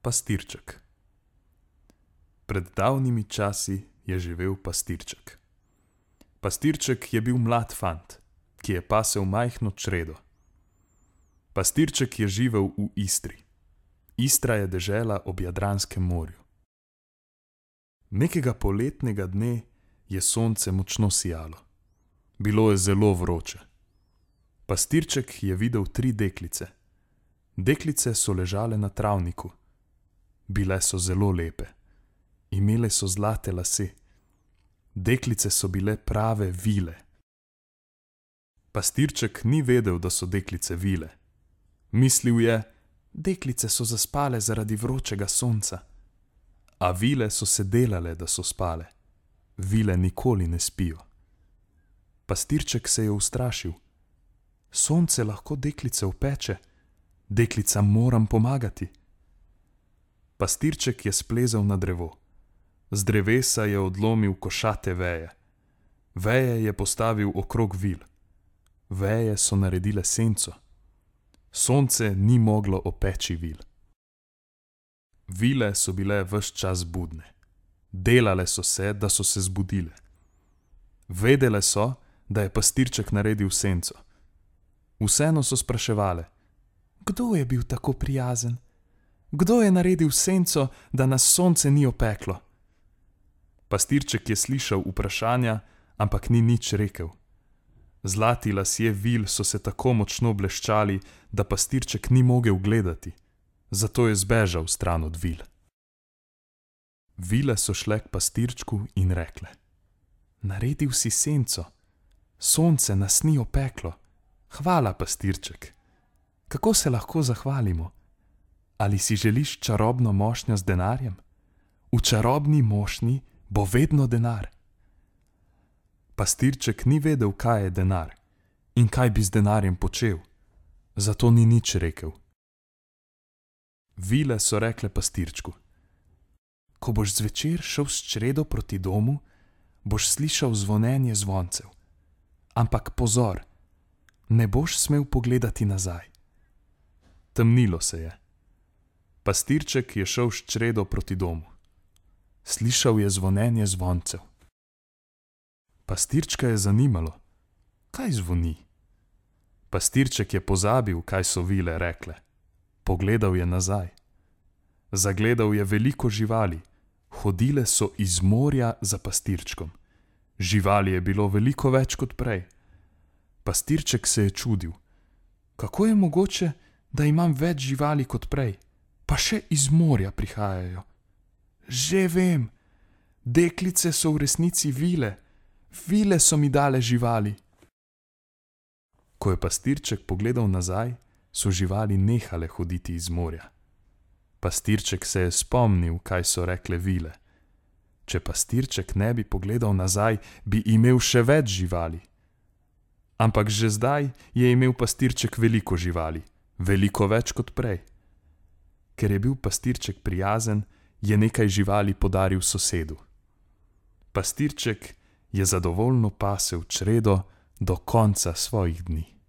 Pastirček. Pred davnimi časi je živel pastirček. Pastirček je bil mlad fant, ki je pasel majhno čredo. Pastirček je živel v Istri. Istra je dežela ob Jadranskem morju. Nekega poletnega dne je sonce močno sijalo. Bilo je zelo vroče. Pastirček je videl 3 deklice. Deklice so ležale na travniku. Bile so zelo lepe. Imele so zlate lase. Deklice so bile prave vile. Pastirček ni vedel, da so deklice vile. Mislil je, deklice so zaspale zaradi vročega sonca. A vile so se delale, da so spale. Vile nikoli ne spijo. Pastirček se je ustrašil. Sonce lahko deklice opeče. Deklicam moram pomagati. Pastirček je splezal na drevo. Z drevesa je odlomil košate veje. Veje je postavil okrog vil. Veje so naredile senco. Sonce ni moglo opeči vil. Vile so bile ves čas budne. Delale so se, da so se zbudile. Vedele so, da je pastirček naredil senco. Vseeno so spraševale: kdo je bil tako prijazen? Kdo je naredil senco, da nas sonce ni opeklo? Pastirček je slišal vprašanja, ampak ni nič rekel. Zlati lasje vil so se tako močno bleščali, da pastirček ni mogel gledati. Zato je zbežal stran od vil. Vile so šle k pastirčku in rekle: naredil si senco. Sonce nas ni opeklo. Hvala, pastirček. Kako se lahko zahvalimo? Ali si želiš čarobno mošnjo z denarjem? V čarobni mošnji bo vedno denar. Pastirček ni vedel, kaj je denar in kaj bi z denarjem počel, zato ni nič rekel. Vile so rekle pastirčku: ko boš zvečer šel s čredo proti domu, boš slišal zvonjenje zvoncev. Ampak pozor, ne boš smel pogledati nazaj. Temnilo se je. Pastirček je šel s čredo proti domu. Slišal je zvonjenje zvoncev. Pastirčka je zanimalo, kaj zvoni. Pastirček je pozabil, kaj so vile rekle. Pogledal je nazaj. Zagledal je veliko živali. Hodile so iz morja za pastirčkom. Živali je bilo veliko več kot prej. Pastirček se je čudil. Kako je mogoče, da imam več živali kot prej, pa še iz morja prihajajo? Že vem, deklice so v resnici vile. Vile so mi dale živali. Ko je pastirček pogledal nazaj, so živali nehale hoditi iz morja. Pastirček se je spomnil, kaj so rekle vile. Če pastirček ne bi pogledal nazaj, bi imel še več živali. Ampak že zdaj je imel pastirček veliko živali, veliko več kot prej. Ker je bil pastirček prijazen, je nekaj živali podaril sosedu. Pastirček je zadovoljno pasel čredo do konca svojih dni.